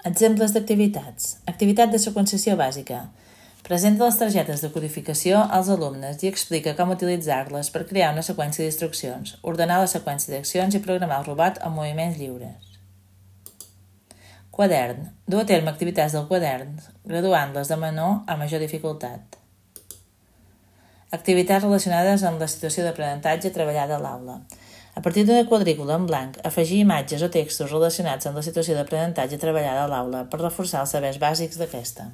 Exemples d'activitats. Activitat de seqüenciació bàsica. Presenta les targetes de codificació als alumnes i explica com utilitzar-les per crear una seqüència d'instruccions, ordenar la seqüència d'accions i programar el robot amb moviments lliures. Quadern. Dur a terme activitats del quadern, graduant-les de menor a major dificultat. Activitats relacionades amb la situació d'aprenentatge treballada a l'aula. A partir d'una quadrícula en blanc, afegir imatges o textos relacionats amb la situació d'aprenentatge treballada a l'aula per reforçar els sabers bàsics d'aquesta.